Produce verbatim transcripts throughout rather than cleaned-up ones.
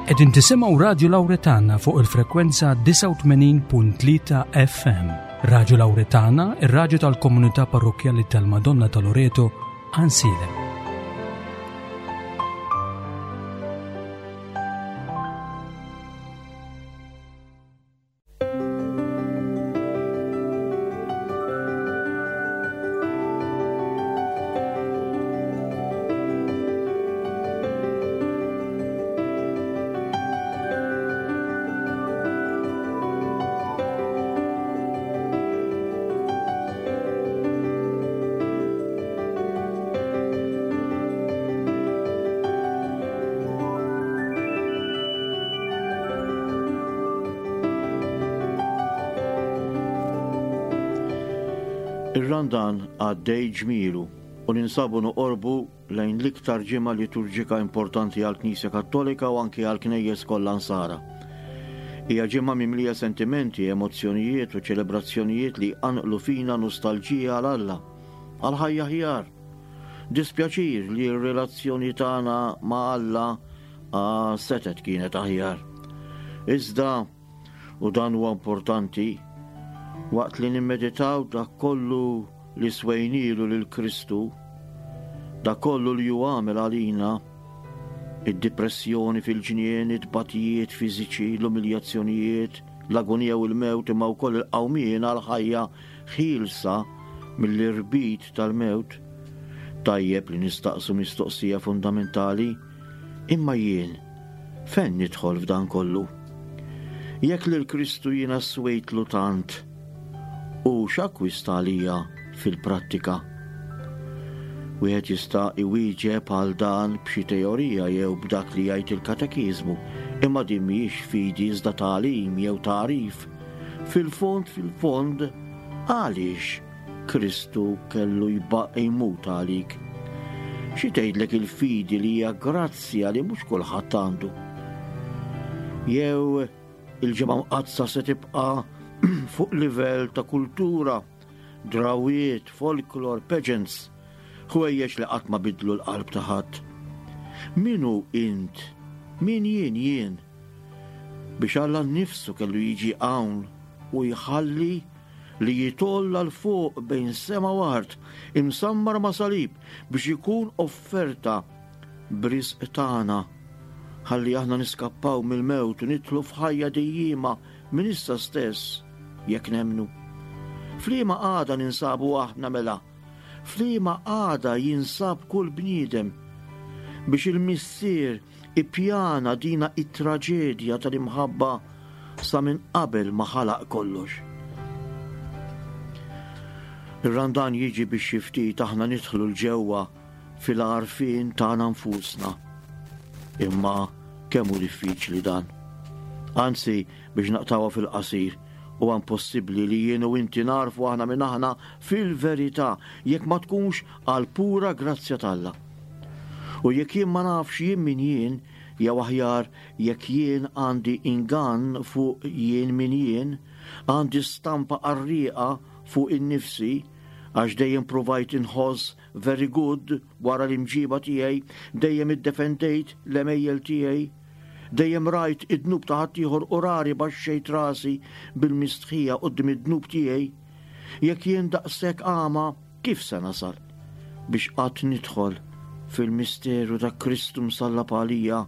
Qegħdin tisimgħu Radju Lawretana fuq il-frekwenza disgħa u tmenin punt tlieta F M. Radju Lawretana, ir-radju tal-Komunità Parrokkjali tal-Madonna ta' Loreto, Għajnsielem. Ir-Randan għaddej ġmielu u ninsabu noqorbu lejn l-iktar ġimgħa liturġika importanti għall-Knisja Kattolika u anki għall-Knejjes kollha Nsara. Hija ġimgħa mimlija sentimenti, emozzjonijiet u ċelebrazzjonijiet li jqanqlu fina nostalġija għal Alla, għal ħajja aħjar. Dispjaċir li r-relazzjoni tagħna ma' Alla ah, setet kienet aħjar. Iżda, u dan huwa importanti, waqt li nimmeditaw dak kollu li swejnilu lil Kristu, dak kollu li hu għamel għalina, id-depressjoni fil-ġnien, it-tbatijiet fiżiċi, l-umiljazzjonijiet, l-agonija u l-mewt, imma wkoll il-qawmien għal ħajja ħielsa mill-irbit tal-mewt, tajjeb li nistaqsu mistoqsija fundamentali: imma jien fejn nidħol f'dan kollu? Jekk lil Kristu jiena swejtlu tant, u x'akkwista għalija fil-prattika? Wieħed jista' iwieġeb għal dan b'xi teorija jew b'dak li jgħid il-katekiżmu, imma din mhijiex fidi iżda tagħlim jew tagħrif. Fil-fond, fil-fond, għaliex Kristu kellu jibqa' jmut għalik? Xi tgħidlek il-fidi li hija grazzja li mhux kulħadd għandu? Jew il-Ġimgħa Mqaddsa se tibqa' fuq livell ta' kultura, drawiet, folklor, pageants, ħwejjeġ li qatt ma bidlu l-qalb ta' ħadd? Min hu int? Min jien jien? Biex Alla nnifsu kellu jiġi hawn u jħalli li jitgħolla 'l fuq bejn sema u art, imsammar ma' salib biex ikun offerta b'risq tagħna, ħalli aħna niskappaw mill-mewt u nidħlu f'ħajja dejjima minn issa stess jekk nemmnu. F'liema qagħda ninsabu aħna mela? F'liema qagħda jinsab kull bniedem biex il-Missier ippjana dina it-traġedja tal-imħabba sa minn qabel ma ħalaq kollox? Ir-Randan jiġi biex xi ftit aħna nidħlu 'l ġewwa fil-għarfien tagħna nfusna. Imma kemm hu diffiċli dan. Anzi, biex naqtgħuha fil-qasir, huwa impossibbli li jien u inti nagħrfu aħna minn aħna fil-verità jekk ma tkunx għal pura grazzja t'Alla. U jekk jien ma nafx jien min jien, jew aħjar jekk jien għandi ingann fuq jien min jien, għandi stampa qarrieqa fuq innifsi, għax dejjem provajt inħoss very good wara l-imġiba tiegħi, dejjem iddefendejt l-għemejjel tiegħi, dejjem rajt id-dnub ta' ħaddieħor u rari baxxejt rasi bil-mistħija quddiem id-dnub tiegħi. Jekk jien daqshekk għama, kif se nasal biex qatt nidħol fil-misteru ta' Kristu msallab għalija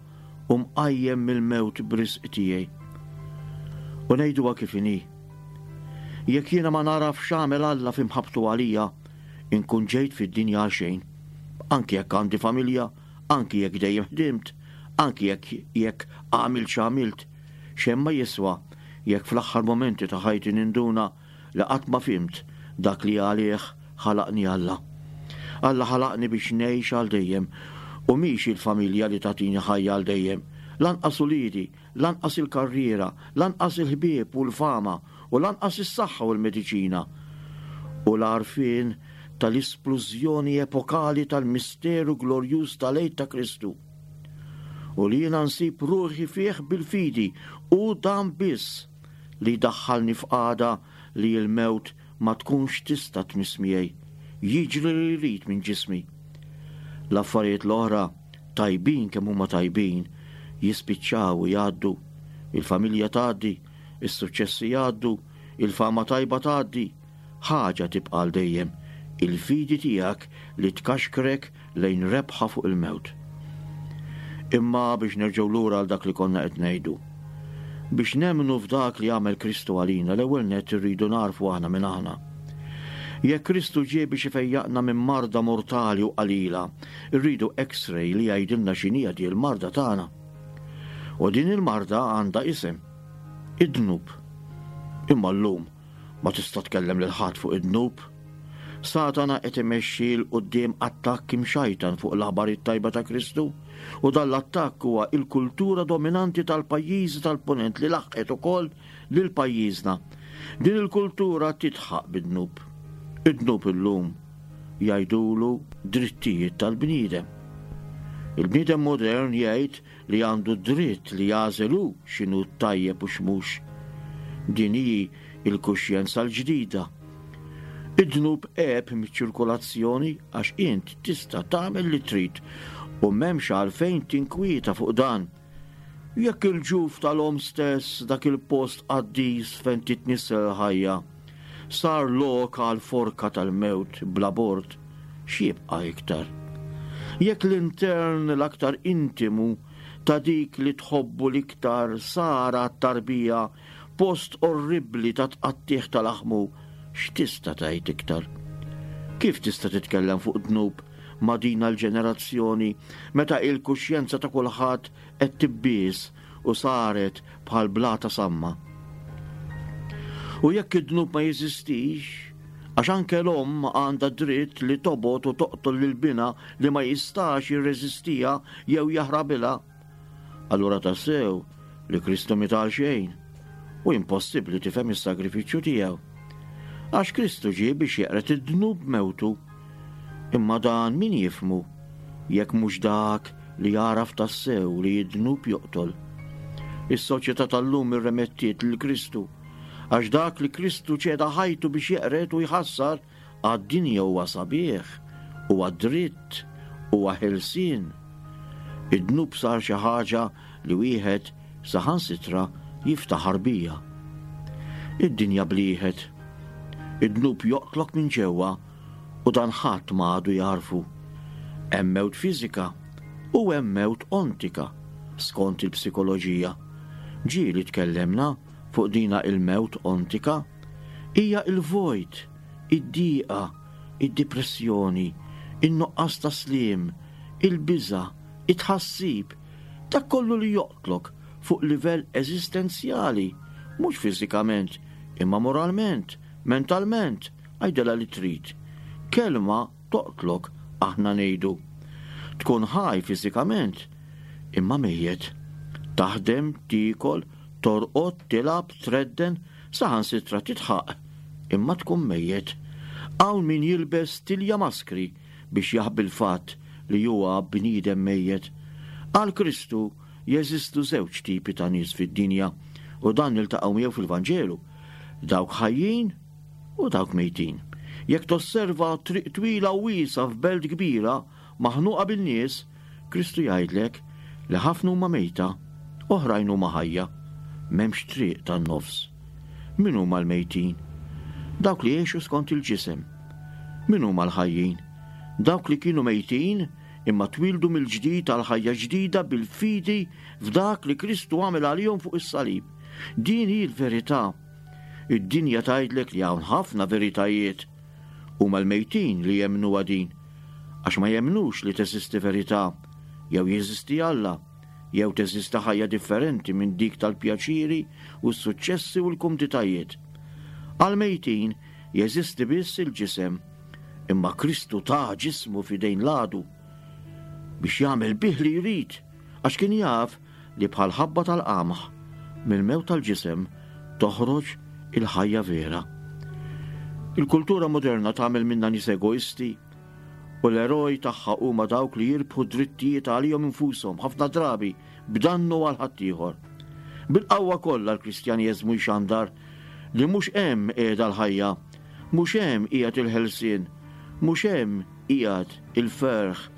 u mqajjem mill-mewt b'risq tiegħi? U ngħiduha kif inhi. Jekk jiena ma naraf x'għamel Alla f'imħabbtu għalija, inkun ġejt fid-dinja għal xejn. Anki jekk għandi familja, anki jekk dejjem ħdimt, anki jekk jekk għamilt x'għamilt, xejn ma jiswa jekk fl-aħħar momenti ta' ħajti ninduna li qatt ma fhimt dak li għalih ħalaqni Alla. Alla ħalaqni biex ngħix għal dejjem u mhix il-familja li tagħtini ħajja għal dejjem. Lanqas uliedi, lanqas il-karriera, lanqas il-ħbieb u l-fama u lanqas is-saħħa u l-mediċina. U l-għarfien tal-isplużjoni epokali tal-misteru glorjuż tal-Għid ta' Kristu. U li jiena nsib ruħi fih bil-fidi u dan biss li daħħalni f'qagħda li l-mewt ma tkunx tista' tmiss miegħi. Jiġri li jrid minn ġismi. L-affarijiet l-oħra, tajbin kemm huma tajbin, jispiċċaw u jgħaddu, il-familja tgħaddi, is-suċċessi jgħaddu, il-fama tajba tgħaddi, ħaġa tibqa' għal dejjem, il-fidi tiegħek li tkaxkrek lejn rebħa fuq il-mewt. Imma biex nerġgħu lura għal dak li konna qed ngħidu. Biex nemmnu f'dak li għamel Kristu għalina, l-ewwel nett irridu narfu aħna minn aħna. Jekk Kristu ġie biex ifejjaqna minn marda mortali u qalila, irridu X-ray li jgħidilna x'inhija di l-marda tagħna. U din il-marda għandha isem, id-dnub. Imma llum ma tista' tkellem lil ħadd fuq id-dnub. Satana qed imexxi 'l quddiem attakk imxajtan fuq l-aħbar it-tajba ta' Kristu, u dan l-attakk huwa il-kultura dominanti tal-pajjiżi tal-Punent li laħqet ukoll lil pajjiżna. Din il-kultura titħaq bid-dnub. Id-dnub illum jgħidulu drittijiet tal-bniedem. Il-bniedem modern jgħid li għandu dritt li jagħżel hu x'inhu tajjeb u x'mhux. Din hi il-kuxjenza l-ġdida. Id-dnub għeb miċ-ċirkolazzjoni għax int tista' tagħmel li trid u m'hemmx għalfejn tinkwieta fuq dan. Jekk il-ġuf tal-om stess dak il-post qaddis fejn titnissel ħajja, sar lok għal forka tal-mewt bl-abort, x'jibqa' iktar? Jekk l-intern l-aktar intimu ta' dik li tħobbu l-iktar sar għat-tarbija post orribli ta' tqattieħ tal-aħmu, x'tista' tgħid iktar? Kif tista' titkellem fuq dnub ma' din l-ġenerazzjoni meta il-kuxjenza ta' kulħadd qed tibbies u saret bħal blata samma? U jekk id-dnub ma jeżistix, għax anke l-omm għandha dritt li tobgħod u toqtol lil binha li ma jistax jirreżistiha jew jaħrabilha, allura tassew li Kristu miet għal xejn u impossibbli tifhem is-sagrifiċċju tiegħu. Għax Kristu ġie biex jeqred id-dnub mewtu. Imma dan min jifhmu jekk mhux dak li jaraf tassew li id-dnub joqtol. Is-soċjetà tal-lum irremettiet lil Kristu, għax dak li Kristu ċeda ħajtu biex jeqred u jħassar għad-dinja huwa sabiħ, huwa dritt, huwa ħelsien. Id-dnub sar xi ħaġa li wieħed saħansitra jiftaħar bija. Id-dinja blieħet. Id-dnub joqtlok minn ġewwa u dan ħadd ma għadu jarfu. Hemm mewt fiżika u hemm mewt ontika skont il-psikoloġija. Ġieli tkellemna fuq dina il-mewt ontika, hija il-vojt, id-diqa, id-depressjoni, in-nuqqas ta' sliem, il-biża', it-tħassib, dak kollu li joqtlok fuq livell eżistenzjali, mhux fiżikament, imma moralment, mentalment, għajdela li trid. Kelma toqtlok, aħna ngħidu. Tkun ħaj fiżikament, imma mejjet. Taħdem, tiekol, torqod, tilgħab, tredden, saħansitra titħaq, imma tkun mejjet. Hawn min jilbes tilja maskri biex jaħbi l-fatt li huwa bniedem mejjet. Għal Kristu jeżistu żewġ tipi ta' nies fid-dinja u dan niltaqgħu miegħu fil-Vanġelu, dawk ħajjin u dawk mejtin. Jekk tosserva triq twila u wiesa f'belt kbira maħnuqa bin-nies, Kristu jgħidlek li ħafna huma mejta, oħrajn huma ħajja. M'hemmx triq tan-nofs. Min huma l-mejtin? Dawk li jgħixu skont il-ġisem. Min huma l-ħajjin? Dawk li kienu mejtin imma twildu mill-ġdid għal ħajja ġdida bil-fidi f'dak li Kristu għamel għalihom fuq is-salib. Din hi l-verità. Id-dinja tgħidlek li hawn ħafna veritajiet. Huma l-mejtin li jemmnu din, għax ma jemmnux li teżisti verità, jew jeżisti Alla, jew teżisti ħajja differenti minn dik tal-pjaċiri u s-suċċessi u l-kumditajiet. Għal-mejtin jeżisti biss il-ġisem, imma Kristu ta ġismu f'idejn l-għadu biex jagħmel bih li jrid, għax kien jaf li bħal ħabba tal-qamħ mill-mewt tal-ġisem toħroġ il-ħajja vera. Il-kultura moderna tagħmel minna nies egoisti u l-eroj tagħha huma dawk li jirbħu drittijiet għalihom infushom ħafna drabi b'dannu għal ħaddieħor. Bil-qawwa kollha l-Kristjaneżmu jxandar li mhux hemm qiegħda l-ħajja, mhux hemm qiegħed il-ħelsien, mhux hemm qiegħed il-ferħ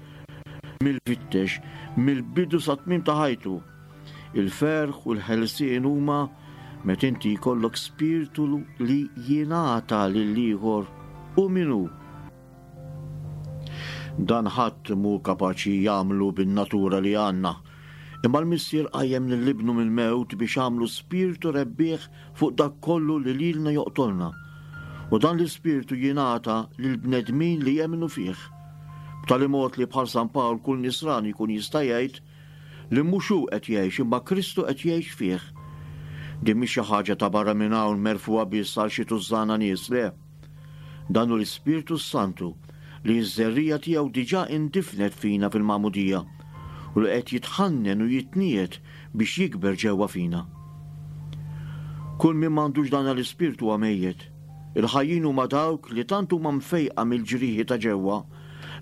mill-fittex, mill-bidu sa tmiem ta' ħajtu. Il-ferħ u l-ħelsien huma meta inti jkollok spirtu li jingħata lill-ieħor u min hu. Dan ħadd mhu kapaċi jagħmlu bin-natura li għandna. Imma l-Missier qajjem lil Ibnu mill-mewt biex għamlu spirtu rebbieħ fuq dak kollu li lilna joqtolna. U dan l-ispirtu jingħata lill-bnedmin li jemmnu fih. B'tali mod li bħal San Pawl kull nisrani jkun jista' jgħid li mhux hu qed jgħix imma Kristu qed jgħix fih. Din mhix xi ħaġa ta' barra minn hawn merfugħa biss għal xi tużżana nies, le. Dan hu l-Ispirtu Santu li ż-żerriegħa tiegħu diġà indifnet fina fil-magħmudija u li qed jitħannen u jitniet biex jikber ġewwa fina. Kull min m'għandux dan l-ispirtu huwa mejjet. Il-ħajjin huma dawk li tant huma mfejqa mill-ġrieħi ta' ġewwa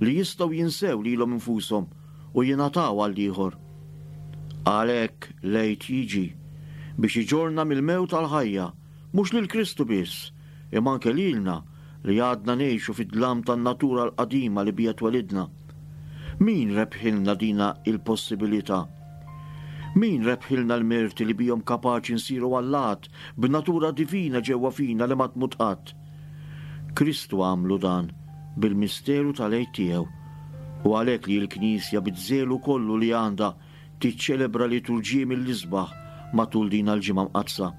li jistgħu jinsew lilhom infushom u jingħataw għall-ieħor. Għalhekk l-Għid jiġi biex iġorna mill-mewt għall-ħajja, mhux lil Kristu biss, imma anke lilna li għadna ngħixu fid-dlam tan-natura l-qadima li bija twelidna. Min rebħilna dina il-possibilità? Min rebħilna l-merti li bihom kapaċi nsiru allat b'natura divina ġewwa fina li ma tmut qatt? Kristu għamlu dan bil-misteru tal-Għid tiegħu, u għalhekk li l-Knisja biż-żelu kollu li għandha tiċċelebra liturġiji mill-isbaħ matul din l-ġimgħa mqaddsa.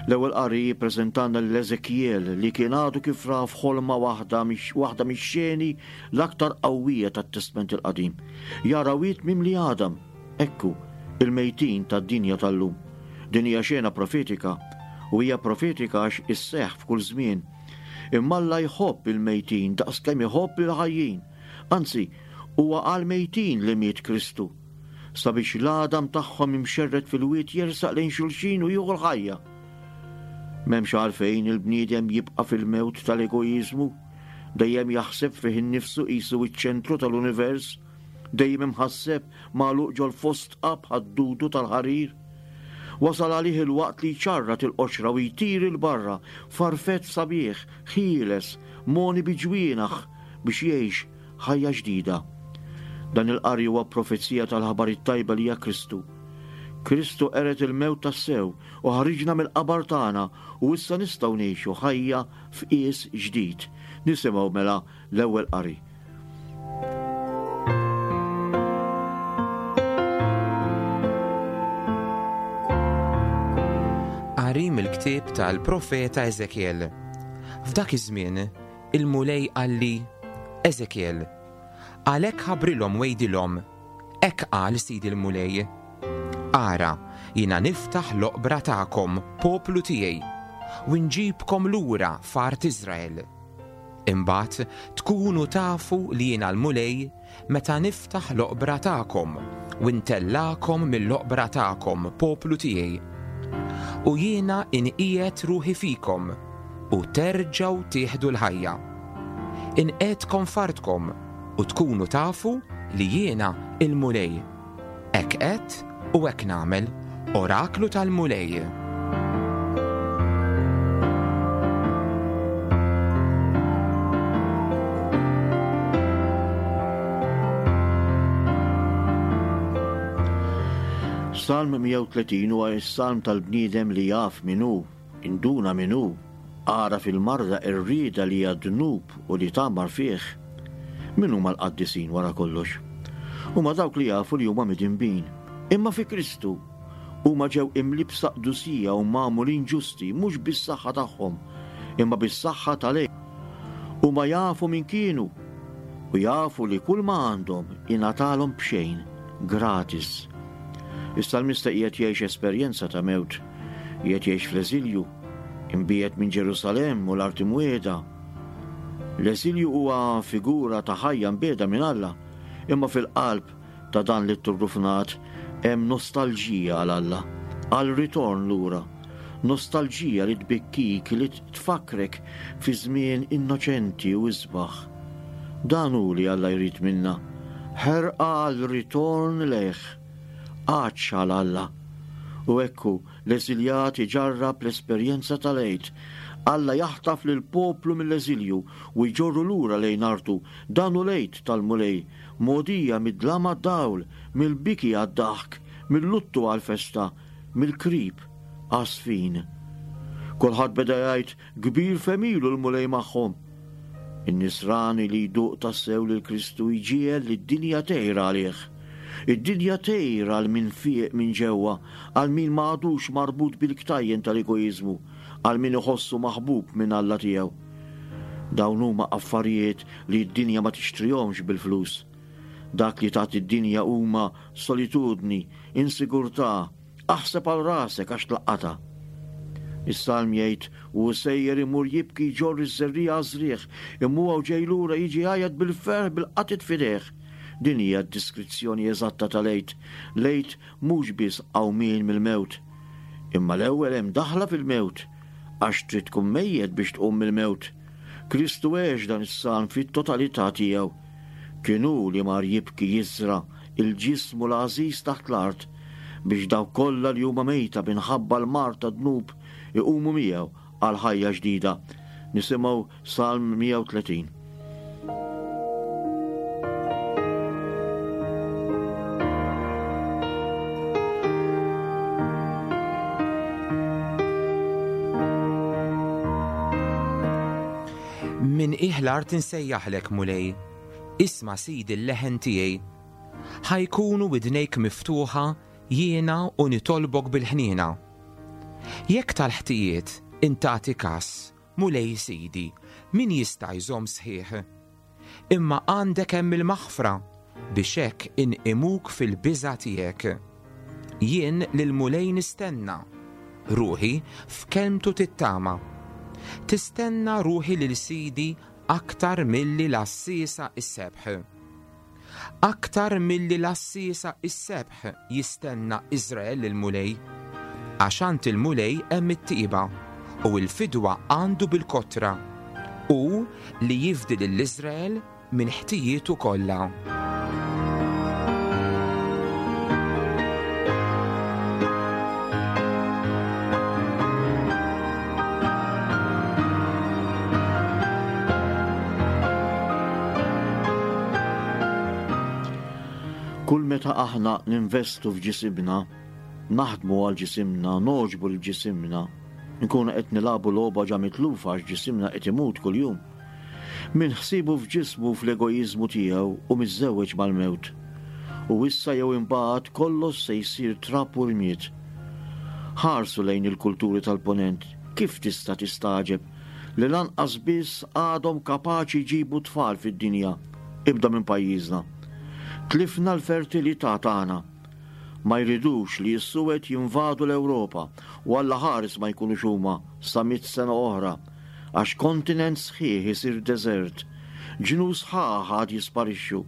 L-ewwel qari jippreżentanna lil Eżekjel li kien għadu kif ra f'ħolma waħda waħda mix-xeni l-aktar qawwija tat-Testment il-Qadim. Jara wied mimli għadam, ekku, il-mejtin tad-dinja tal-lum. Din hija xena profetika, u hija profetika għax isseħħ f'kull żmien. Imma Alla jħobb il-mejtin daqskemm iħobb il-ħajjin. Anzi, huwa għal-mejtin li miet Kristu, sabiex l-għadam tagħhom imxerred fil-wied jersaq lejn xulxin u jieħu l-ħajja. M'hemmx għalfejn il-bniedem jibqa' fil-mewt tal-egoiżmu, dejjem jaħseb fih innifsu qisu ċ-ċentru tal-univers, dejjem imħasseb magħluq ġol-fosdqa bħad-dudu tal-ħarir. Wasal għalih il-waqt li jċarrat il-qoxra u jtir 'il barra farfett sabiħ, ħieles, moni bi ġwienaħ biex jgħix ħajja ġdida. Dan il-qari huwa profezija tal-ħabar it-tajba li hija Kristu. Kristu qered il-mewt tassew u ħariġna mill-qabar tagħna u issa nistgħu ngħixu ħajja f'qies ġdid. Nisimgħu mela l-ewwel qari. Qari mill-ktieb tal-profeta Eżekjel. F'dak iż-żmien il-Mulej qalli: Eżekjel, għalhekk ħabrilhom wejdilhom, hekk qal Sidi l-Mulej. Ara, jiena niftaħ l-oqbra tagħkom, poplu tiegħi, u nġibkom lura f'art Iżrael. Imbagħad tkunu tafu li jiena l-Mulej meta niftaħ l-oqbra tagħkom u ntellakom mill-oqbra tagħkom, poplu tiegħi. U jiena inqiegħed ruħi fikom u terġgħu tieħdu l-ħajja. Inqiegħdkom f'artkom u tkunu tafu li jiena il-Mulej. Hekk qed u hekk nagħmel, oraklu tal-Mulej. Salm mija u tletin huwa s-salm tal-bniedem li jaf min hu, induna min hu, għaraf il-marda r-rieda li hija dnub u li tgħammar fih. Min huma l-qaddisin wara kollox? Huma dawk li jafu li huma midinbin. Imma fi Kristu huma ġew imlibsa qdusija u magħmulin ġusti mhux bis-saħħa tagħhom, imma bis-saħħa tal-Għid. Huma jafu min kienu u jafu li kull ma għandhom ingħatalhom b'xejn, gratis. Is-salmista qiegħed jgħix esperjenza ta' mewt, qiegħed jgħix fl-eżilju, imbiegħed minn Ġerusalemm u l-art imwiegħda. L-eżilju huwa figura ta' ħajja mbiegħda minn Alla, imma fil-qalb ta' dan li turrufnat hemm nostalġija għal Alla, għal ritorn lura, nostalġija li tbikkik, li tfakrek fi żmien innoċenti u isbaħ. Dan hu li Alla jrid minna, ħerqa għal ritorn lejh, għatx għal Alla. U ekku l-eżiljat iġarrab l-esperjenza tal-Għid. Alla jaħtaf lil poplu mill-eżilju u jġorru lura lejn artu. Dan hu l-Għid tal-Mulej, mogħdija mid-dlam għad-dawl, mill-biki għad-daħk, Mill-luttu għall-festa, mill-krib għas-sfin. Kulħadd beda jgħid kbir femilu l-Mulej magħhom. In-nisrani li jduq tassew lil Kristu jġiegħel li d-dinja tgħir għalih. Id-dinja tgħir għal min fieq minn ġewwa, għal min ma għadux marbut bil-ktajjen tal-egoiżmu, għal min iħossu maħbub minn Alla tiegħu. Dawn huma affarijiet li d-dinja ma tixtrihomx bil-flus. Dak li tagħti d-dinja huma solitudni, insigurtà, aħseb għal rasek għax tlaqqata. Is-salm jgħid u sejjer imur jibki jġorr iż-żerriegħa għaż-żrigħ, imma huwa u ġej lura jiġi jgħajjat bil-ferħ bil-qatit f'idejh. Din hija d-diskrizzjoni eżatta tal-Għid. L-Għid mhux biss qawmien mill-mewt, imma l-ewwel hemm daħla fil-mewt, għax trid tkun mejjet biex tqum mill-mewt. Kristu għex dan is-salm fit-totalità tiegħu. Kien hu li mar jibki jiżra' il-ġismu l-għażiż taħt l-art biex dawk kollha li huma mejta minħabba l-mard tad-dnub iqumu miegħu għal ħajja ġdida. Nisimgħu Salm mija u tletin. Min qiegħ l-art insejjaħlek, Mulej, isma' Sidi l-leħen tiegħi. Ħajkunu widnejk miftuħa jiena u nitolbok bil-ħniena. Jekk tal-ħtijiet intati kas, Mulej Sidi, min jista' jżomm sħiħ? Imma għandek hemm il-maħfra biex hekk inqimuk fil-biża' tiegħek. Jien lil Mulej nistenna, ruħi f'kelmtu tittama. Tistenna ruħi lil Sidi aktar milli l-għassiesa is-sebħ. Aktar milli l-għassiesa is-sebħ jistenna Iżrael lil Mulej, għax għand il-Mulej hemm it-tiba u l-fidwa għandu bil-kotra, u li jifdi lil Iżrael minn ħtijietu kollha. Kull meta aħna ninvestu f'ġisimna, naħdmu għal ġisimna, noġbu l ġisimna, nkunu qed nilagħbu logħba ġa mitlufa għax ġisimna qed imut kuljum. Min ħsibu f'ġismu fl-egoiżmu tiegħu u miżżewweġ mal-mewt. U issa jew imbagħad kollox se jsir trab u rmied. Ħarsu lejn il-kulturi tal-ponent, kif tista' tistagħġeb li lanqas biss għadhom kapaċi jġibu tfal fid-dinja, ibda minn pajjiżna. Tlifna l-fertilità tagħna. Ma jridux li s-Suwed jinvadu l-Ewropa u Alla ħares ma jkunux huma sa mitt sena oħra, għax kontinent sħiħ isir deżert, ġnus sħaħ għad jisparixxu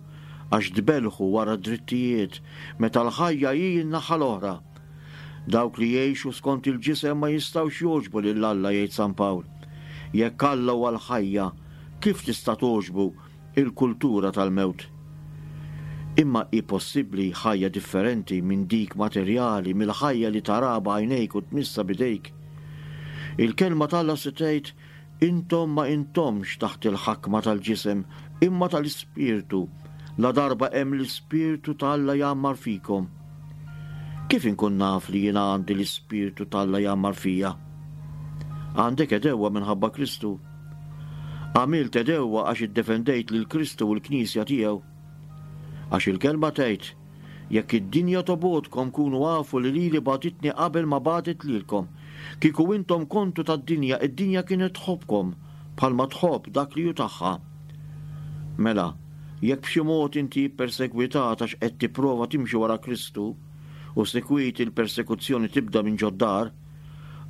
għax tbelħu wara drittijiet meta l-ħajja hi n-naħa l-oħra. Dawk li jgħixu skont il-ġisem ma jistgħux jogħġbu lil Alla, jgħid San Pawl. Jekk Alla huwa l-ħajja, kif tista' togħġbu il-kultura tal-mewt? Imma hi possibbli ħajja differenti minn dik materjali, mill-ħajja li tara b'għajnejk u tmissa b'idejk. Il-kelma t'Alla se tgħid, intom ma intomx taħt il-ħakma tal-ġisem, imma tal-Ispirtu, la darba hemm l-Ispirtu t'Alla jgħammar fikom. Kif inkun naf li jiena għandi l-Ispirtu t'Alla jgħammar fija? Għandek edewwa minħabba Kristu. Għamilt edewwa għax iddefendejt lil Kristu u l-Knisja tiegħu. Għax il-kelma tgħid, jekk id-dinja tobgħodkom kunu għafu li lili bagħtitni qabel ma bagħtet lilkom. Kieku intom kontu tad-dinja, id-dinja kienet tħobbkom bħalma tħobb dak li hu tagħha. Mela, jekk b'xi mod inti ppersegwitat għax qed tipprova timxi wara Kristu u sikwit il-persekuzzjoni tibda minn ġod-dar,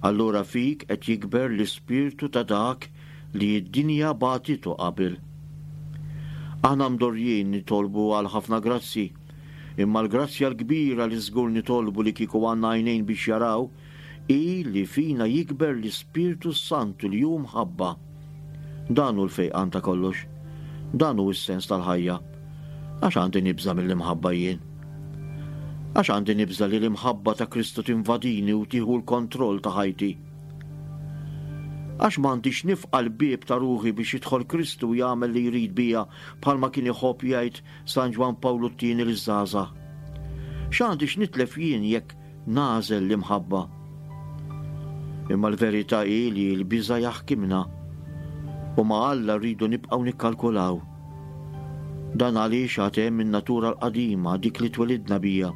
allura fik qed jikber l-ispirtu ta' dak li d-dinja bagħtitu qabel. Aħna mdorrijin nitolbu għal ħafna grazzi, imma l-grazzja l-kbira li żgur nitolbu li kieku għandna għajnejn biex jaraw hi li fina jikber l-Ispirtu Santu li hu mħabba. Dan hu l-fejqan ta' kollox. Dan hu s-sens tal-ħajja. Għax għandi nibża' mill-imħabba jien. Għax għandi nibża' li l-imħabba ta' Kristu tinvadini u tieħu l-kontroll ta' ħajti. Għax m'għandix nifqa' l-bieb ta' ruħi biex jidħol Kristu u jagħmel li jrid bija bħalma kien iħobb jgħid San Ġwann Pawlu t-tieni liż-żgħażagħ. X'għandi x'nitlef jien jekk nagħżel l-imħabba? Imma l-verità hi li l-biża' jaħkimna u ma' Alla rridu nibqgħu nikkalkulaw. Dan għaliex għad hemm in-natura l-qadima, dik li twelidna bija,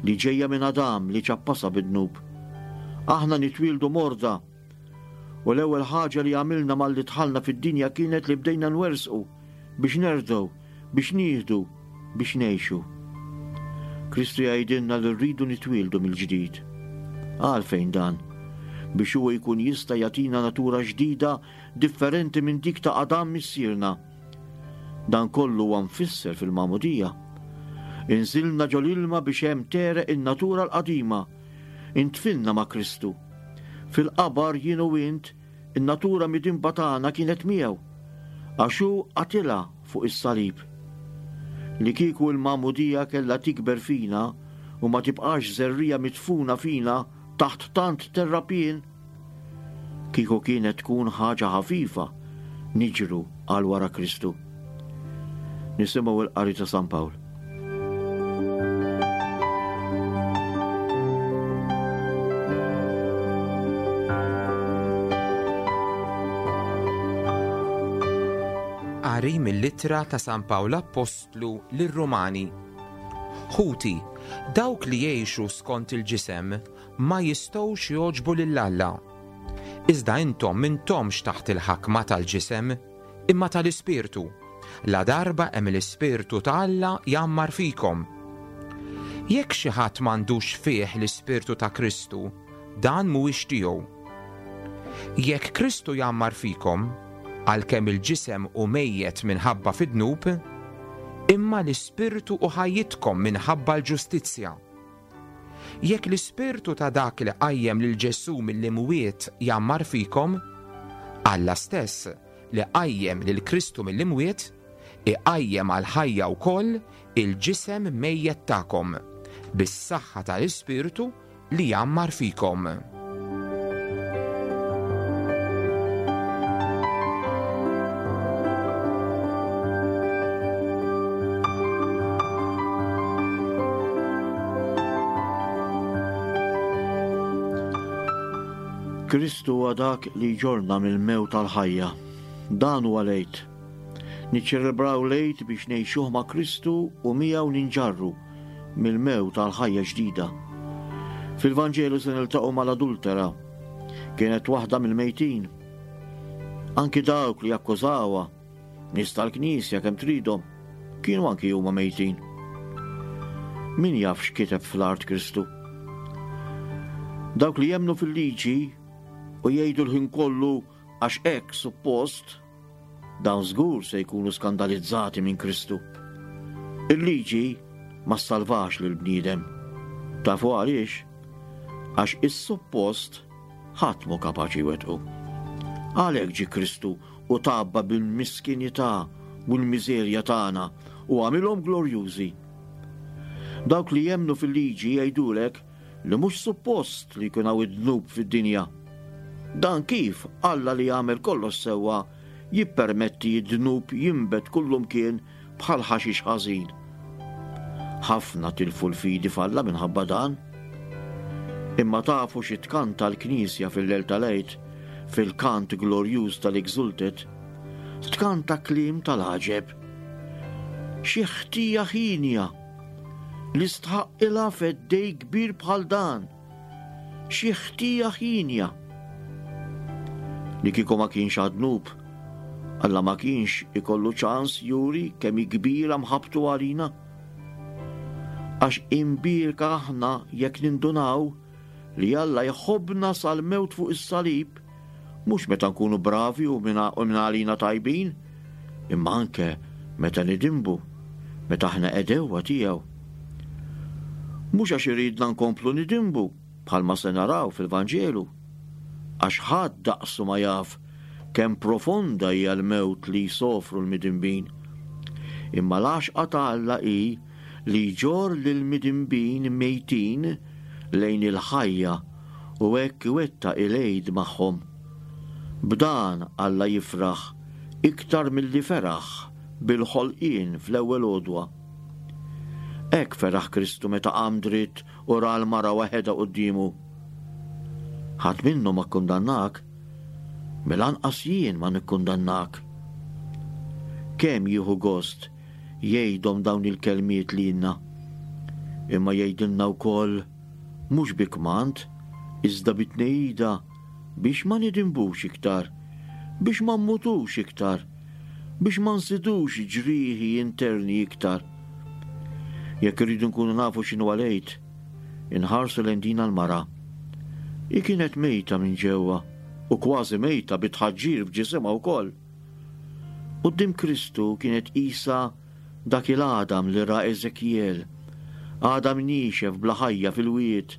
li ġejja minn Adam li ċappasha bid-dnub. Aħna nitwieldu morda u l-ewwel ħaġa li għamilna malli dħalna fid-dinja kienet li bdejna nwersqu biex nerdgħu, biex nieħdu, biex ngħixu. Kristu jgħidilna li rridu nitwieldu mill-ġdid. Għalfejn dan? Biex huwa jkun jista' jagħtina natura ġdida differenti minn dik ta' Adam missierna. Dan kollu huwa mfisser fil-magħmudija. Inżilna ġol-ilma biex hemm tegħreq in-natura l-qadima. Intfinna ma' Kristu. Fil-qabar jien u int, in-natura midinba tagħna kienet miegħu, għax hu qatilha fuq is-salib. Li kieku l-magħmudija kellha tikber fina u ma tibqax żerriegħa midfuna fina taħt tant terrapien, kieku kienet tkun ħaġa ħafifa niġru għal wara Kristu. Nisimgħu l-qari ta' San Pawl. Qari mill-ittra ta' San Pawl Appostlu lir-Rumani. Ħuti, dawk li jgħixu skont il-ġisem ma jistgħux jogħġbu lil Alla. Iżda intom m'intomx taħt il-ħakma tal-ġisem, imma tal-Ispirtu. La darba hemm l-Ispirtu ta' Alla jgħammar fikom. Jekk xi ħadd m'għandux fih l-Ispirtu ta' Kristu, dan mhuwiex tiegħu. Jekk Kristu jgħammar fikom, għalkemm il-ġisem hu mejjet minħabba fid-dnub, imma l-Ispirtu hu ħajjitkom minħabba l-ġustizzja. Jekk l-Ispirtu ta' dak li qajjem lil Ġesù mill-imwiet jgħammar fikom, Alla stess li qajjem lil Kristu mill-imwiet, iqajjem għal ħajja wkoll il-ġisem mejjet tagħkom bis-saħħa tal-Ispirtu li jgħammar fikom. Kristu huwa dak li jġorna mill-mewt għall-ħajja. Dan huwa l-Għid. Niċċelebraw l-Għid biex ngħixuh ma' Kristu u miegħu ninġarru mill-mewt għall-ħajja ġdida. Fil-Vanġelu se niltaqgħu mal-adultera. Kienet waħda mill-mejtin. Anki dawk li akkużawha, nies tal-Knisja kemm tridhom, kienu anki huma mejtin. Min jaf x'kiteb fl-art Kristu? Dawk li jemmnu fil-liġi u jgħidu l-ħin kollu għax hekk suppost, dawn żgur se jkunu skandalizzati minn Kristu. Il-liġi ma ssalvax lil bniedem. Tafu għaliex? Għax is-suppost ħadd mhu kapaċi jwettqu. Għalhekk ġie Kristu u tabba bil-miskinità u l-miżerja tagħna u għamilhom glorjużi. Dawk li jemmnu fil-liġi jgħidulek li mhux suppost li jkun hawn id-dnub fid-dinja. Dan kif Alla li jagħmel kollox sewwa jippermetti d-dnub jinbet kullumkien bħal ħaxix ħażin. Ħafna tilfu l-fidi f'Alla minħabba dan. Imma tafu xi tkanta l-Knisja fil-lejl tal-Għid, fil-kant glorjuż tal-Exultet, tkanta kliem tal-għaġeb. Xi ħtija ħinja li stħaqqilha feddej kbir bħal dan. Xi ħtija ħinja. Li kieku ma kienx għad-dnub, Alla ma kienx ikollu ċans juri kemm hi kbira mħabbtu għalina. Għax imbierka aħna jekk nindunaw li Alla jħobbna sal-mewt fuq is-salib, mhux meta nkunu bravi u minn għalina tajbin, imma anke meta nidinbu, meta aħna għedewwa tiegħu. Mhux għax iridna nkomplu nidinbu, bħalma se naraw fil-Vanġelu, għax ħadd daqsu ma jaf kemm profonda hija l-mewt li jsofru l-midinbin. Imma l-għaxqa ta' Alla hi li jġorr lill-midinbin mejtin lejn il-ħajja u hekk iwettaq il-Għid magħhom. B'dan Alla jifraħ iktar milli feraħ bil-ħolqien fl-ewwel għodwa. Hekk feraħ Kristu meta qam dritt u ra l-mara waħedha quddiemu. Ħadd minnhom ma kkundannak, mela anqas jien ma nikkundannak. Kemm jieħu gost jgħidhom dawn il-kelmiet lilna. Imma jgħidilna wkoll mhux bi kmand, iżda bi tnehida biex ma nidinbux iktar, biex ma mmutux iktar, biex ma nżidux ġrieħi interni iktar. Jekk irridu nkunu nafu x'inhu l-Għid, inħarsu lejn din l-mara. Hi kienet mejta minn ġewwa u kważi mejta bi tħaġġir f'ġisimha wkoll. Quddiem Kristu kienet qisha dak il-għadam li ra Eżekjel, għadam niexef bla ħajja fil-wied.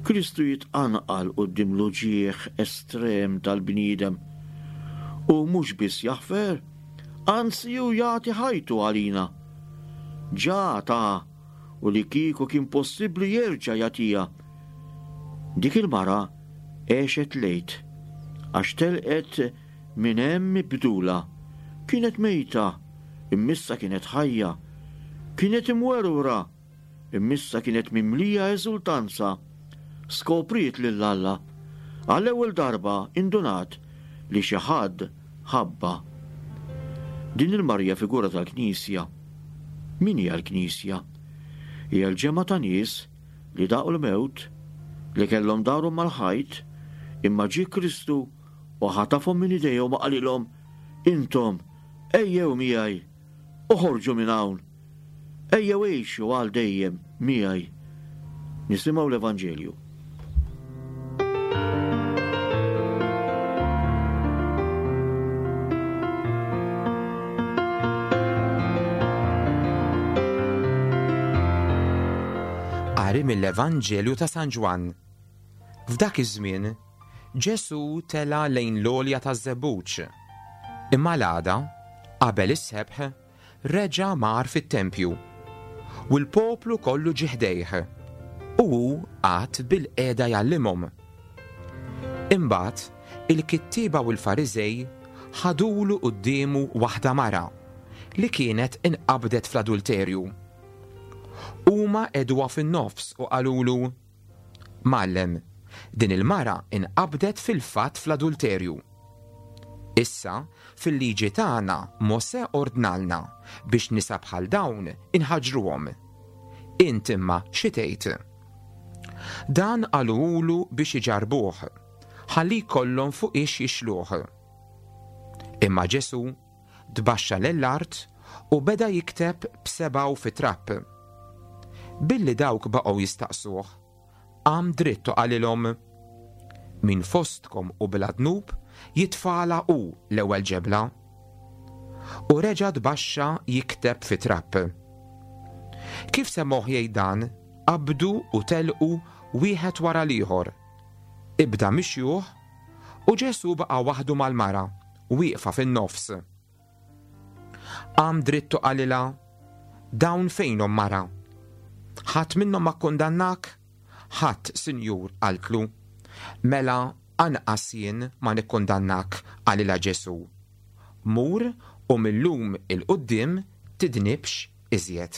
Kristu jitqanqal quddiem l-uġigħ estrem tal-bniedem u mhux biss jaħfer, anzi hu jagħti ħajtu għalina. Ġa ta u li kieku kien possibbli jerġa' jagħtiha. Dik il-mara għexet l-Għid, għax telqet minn hemm mibdula. Kienet mejta, imma issa kienet ħajja. Kienet imwerwra, imma issa kienet mimlija eżultanza. Skopriet lil Alla. Għall-ewwel darba indunat li xi ħadd ħabbha. Din il-mara hija figura tal-Knisja. Min hija l-Knisja? Hija l-ġemgħa ta' nies li daqu l-mewt, li kellhom darhom mal-ħajt, imma ġie Kristu u ħatafhom minn idejhom u qalilhom, intom ejjew miegħi, oħorġu minn hawn, ejjew għixu għal dejjem miegħi. Nisimgħu l-Evanġelju. Qari mill-Evanġelju ta' San Ġwann. F'dak iż-żmien, Ġesù tela' lejn l-għolja taż-Żebbuġ. Imma l-għada, qabel is-sebħ, reġa' mar fit-tempju. U l-poplu kollu ġie ħdejh, u hu qagħad bil-qiegħda jgħallimhom. Imbagħad il-kittieba u l-Fariżej ħadulu quddiemu waħda mara li kienet inqabdet fl-adulterju. Huma qegħduha fin-nofs u qalulu, Mgħallem, din il-mara inqabdet fil-fatt fl-adulterju. Issa, fil-liġi tagħna Mosè ordnalna biex nisa bħal dawn inħaġruhom. Int imma xi tgħid? Dan qalulu biex iġarbuh, ħalli jkollhom fuq ix jixluh. Imma Ġesù tbaxxa lill-art u beda jikteb b'sebgħu fi trab. Billi dawk baqgħu jistaqsuh, qam dritt u qalilhom, Min fostkom u bla dnub jitfala hu l-ewwel ġebla. U reġa' tbaxxa jikteb fi trab. Kif semgħuh jgħid dan, qabdu u telqu wieħed wara l-ieħor. Ibda mixjuh u Ġesù baqa' waħdu mal-mara, wieqfa fin-nofs. Qam dritt u qalilha, Dawn fejnhom mara? Ħadd minnhom ma kkundannak? Ħadd, Sinjur, qaltlu. Mela anqas jien ma nikkundannak, qalilha Ġesù. Mur u millum il-quddiem tidnibx iżjed.